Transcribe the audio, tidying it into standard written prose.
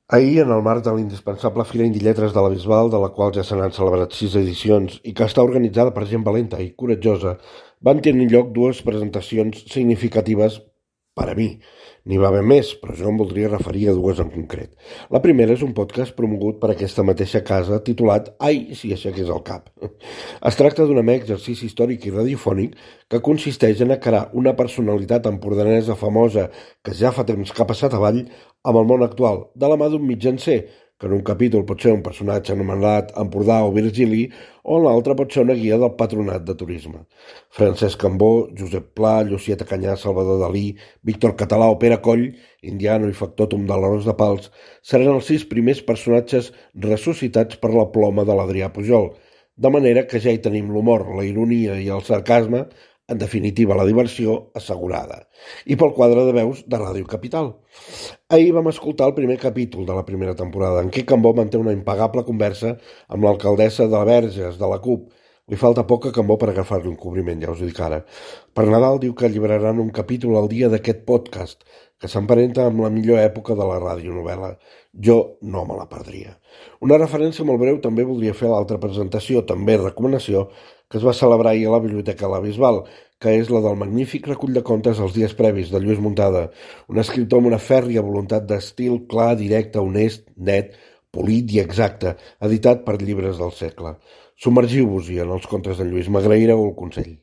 Ahir, en el marc de l'indispensable Fira Indie Lletres de la Bisbal, de la qual ja se n'han celebrat 6 edicions i que està organitzada per gent valenta i coratjosa, van tenir lloc dues presentacions significatives per a mi. N'hi va haver més, però jo em voldria referir a dues en concret. La primera és un podcast promogut per aquesta mateixa casa titulat Ai, si aixequés el cap. Es tracta d'un mega exercici històric i radiofònic que consisteix en encarar una personalitat empordanesa famosa que ja fa temps que ha passat avall amb el món actual, de la mà d'un mitjancer, que en un capítol pot ser un personatge anomenat Empordà o Virgili, o en l'altre pot ser una guia del Patronat de Turisme. Francesc Cambó, Josep Pla, Llucieta Canyà, Salvador Dalí, Víctor Català o Pere Coll, indiano i factòtum de l'Arròs de Pals, seran els 6 primers personatges ressuscitats per la ploma de l'Adrià Pujol, de manera que ja hi tenim l'humor, la ironia i el sarcasme, en definitiva la diversió, assegurada. I pel quadre de veus de Ràdio Capital. Ahir vam escoltar el primer capítol de la primera temporada, en què Cambó manté una impagable conversa amb l'alcaldessa de Verges, de la CUP. Li falta poc a Cambó per agafar-li un cobriment, ja us ho dic ara. Per Nadal diu que alliberaran un capítol al dia d'aquest podcast, que s'emparenta amb la millor època de la radionovel·la. Jo no me la perdria. Una referència molt breu també voldria fer a l'altra presentació, també recomanació, que es va celebrar ahir a la Biblioteca de la Bisbal, que és la del magnífic recull de contes Els dies previs, de Lluís Muntada, un escriptor amb una fèrria voluntat d'estil clar, directe, honest, net, polit i exacte, editat per Llibres del Segle. Submergiu-vos-hi en els contes de Lluís, m'agraireu el consell.